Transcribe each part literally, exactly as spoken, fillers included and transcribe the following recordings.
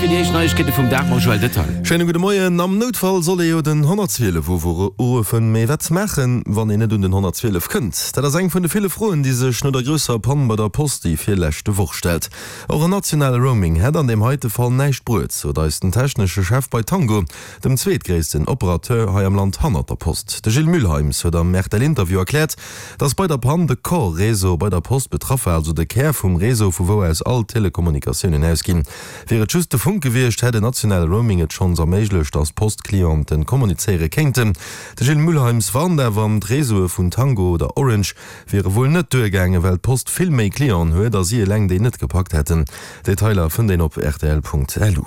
fir déi éischt Neiegkeete vum Dag mam Joël Detaille. Schéine gudde Moien. Am Noutfall soll ee jo den honnertzwielef uruffen. Mee wat maachen, wann een net un den honnertzwielef kënnt? Dat ass eng vun de ville Froen, déi sech no der grousser Pann bei der Post déi virleschte Woch stellt. Och en nationale Roaming hätt an deem heite Fall näischt bruet, sot eis den technesche Chef bei Tango, dem zweetgréissten Operateur hei am Land hannert der Post. De Gilles Mühlheims huet am R T L-Interview erkläert, dass bei der Pann de Core-Réseau bei der Post betraff war, also de Kär vum Réseau, vu wou aus all Telekommunikatiounen ausginn. Wier et just de Funk gewiescht, hätt en nationale Roaming et schonns erméiglecht, dass Post-Clienten kommunizéiere kéinten. De Gilles Mühlheims warnt awer, d'Réseaue vun Tango oder Orange wiere wuel net duergaangen, well d'Post vill méi Clienten huet a si eleng déi net gepackt hätten. Detailer fënnt een op rtl Punkt lu.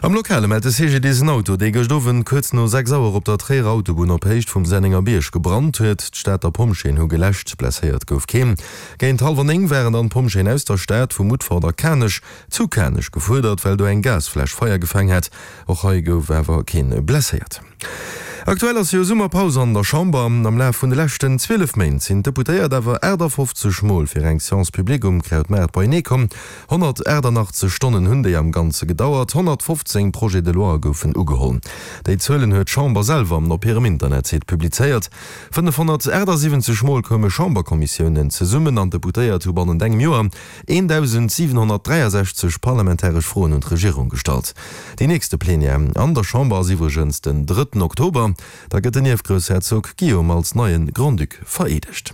Am Lokale mellt de C G D S en Auto, dee gëscht Owend kuerz no sechs Auer op der Tréierer Autobunn op Héicht vum Sennenger Bierg gebrannt huet. D'Stater Pompjeeën hu geläscht, blesséiert gouf keen. Géint hallwer néng waren dann d'Pompjeeën aus der Stad vu Mutfert a Kanech zu Kanech gefuerdert, well do eng Gasfläsch Feier gefaangen hat. Och hei gouf awer keen blesséiert. Aktuell ass jo Summerpaus an der Chamber. Am Laf vun de leschten zwielef Méint sinn d'Deputéiert awer aachtafoffzeg Mol fir eng Séance publique um Krautmaart beienee komm. honnertaachtanaachtzeg Stonnen hunn déi am Ganze gedauert, honnertfofzéng Projets de loi goufen ugeholl. Déi Zuelen huet d'Chamber selwer op hirem Internetsite publizéiert. fënnefhonnertaachtsiwwenzeg Mol koume Chamberkommissiounen zesummen an d'Deputéiert hu bannent engem Joer eendausendsiwenhonnertdräiasechzeg parlamentaresch Froen un d'Regierung gestallt. Déi nächste Plenière an der Chamber ass iwwregens den drëtten Oktober. Da gëtt den Ierfgroussherzog Guillaume als neie Grand-Duc vereedegt.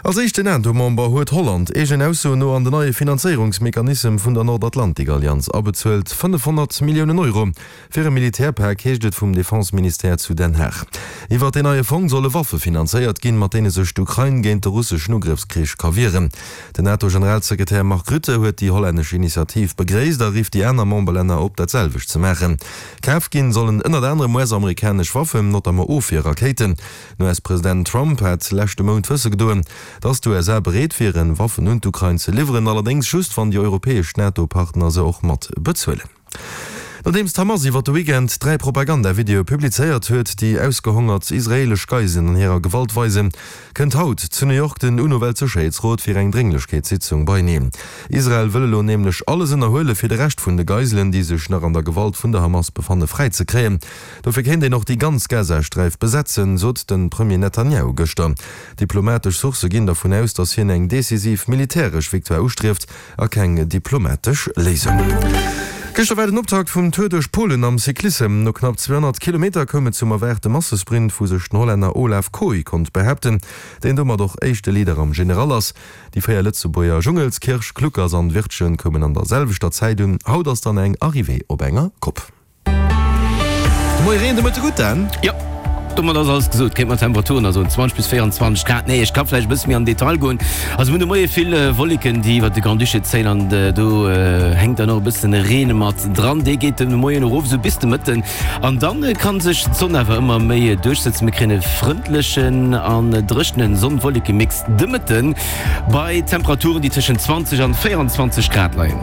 Als éischten NATO-Member huet Holland eegenen Aussoen no an den neie Finanzéierungsmechanismus vun der Nordatlantik-Allianz abezuelt, fënnefhonnert Milliounen Euro fir e Militärpak, heescht et vum Defense-Ministère zu Den Haag. Iwwer den neie Fong solle Waffe finanzéiert ginn, mat deene sech d'Ukrain géint de russeschen Ugrëffskrich ka wieren. Den NATO-Generalsekretär Mark Rutte huet déi hollännesch Initiativ begréisst a rifft déi aner Memberlänner op, dat selwecht ze maachen. Kaf ginn sollen ënnert anerem U S-amerikanesch Waffen, notamment Ofwierrakéiten. Den U S-President Trump hat leschte Mount wësse gedoen, dass d'U S A bereet wieren, Waffen un d'Ukrain ze liwweren, allerdéngs just wann déi europäesch NATO-Partner se och mat bezuelen. Nodeems d'Hamas iwwer de Weekend dräi Propagandavideoe publizéiert huet, déi ausgehongert israeelesch Geiselen an hirer Gewalt weisen, kënnt haut zu New York den U N O-Weltsécherheetsrot fir eng Drénglechkeetssitzung beieneen. Israel wëll elo nämlech alles ënnerhuele fir de Rescht vun de Geiselen, déi sech nach an der Gewalt vun der Hamas befanne, fräizekréien. Dofir kéint een och déi ganz Gazasträif besetzen, sot de Premier Netanyahu gëschter. Diplomatesch Sourcë ginn dervun aus, dass hien eng decisiv militäresch Victoire ustrieft a keng diplomatesch Léisung. Gëschter war den Optakt vum Tour duerch Polen am Cyclissem. No knapp zweehonnert Kilometer koum et zum erwaarte Massesprint, wou sech den Hollänner Olav Kooij konnt behaapten, deen domat och éischte Leader am General ass. Déi véier Lëtzebuerger Jungels, Kirsch, Kluckers an Wirtgen koumen an der selwechter Zäit un. Haut ass dann eng Arrivée op enger Kopp. De Moie Reen, de Mëtte gutt dann? Jo, domat ass alles gesot. Kéint mat Temperaturen also zwanzeg bis véierundzwanzeg Grad. Nee, ech ka vläicht e bësse méi am Detail goen. Also mir hunn de Moie vill Wolleken, déi iwwer de Grand-Duché zéien an do hänkt dann och e bëssen Reen mat dran. Dee geet de Moien erof esou bis de Mëtten an dann kann sech d'Sonn awer ëmmer méi duerchsetzen. Mir kréien e frëndlechen an dréchene Sonn-Wolleke-Mix de Mëtten bei Temperaturen, déi tëschent zwanzeg an véierundzwanzeg Grad leien.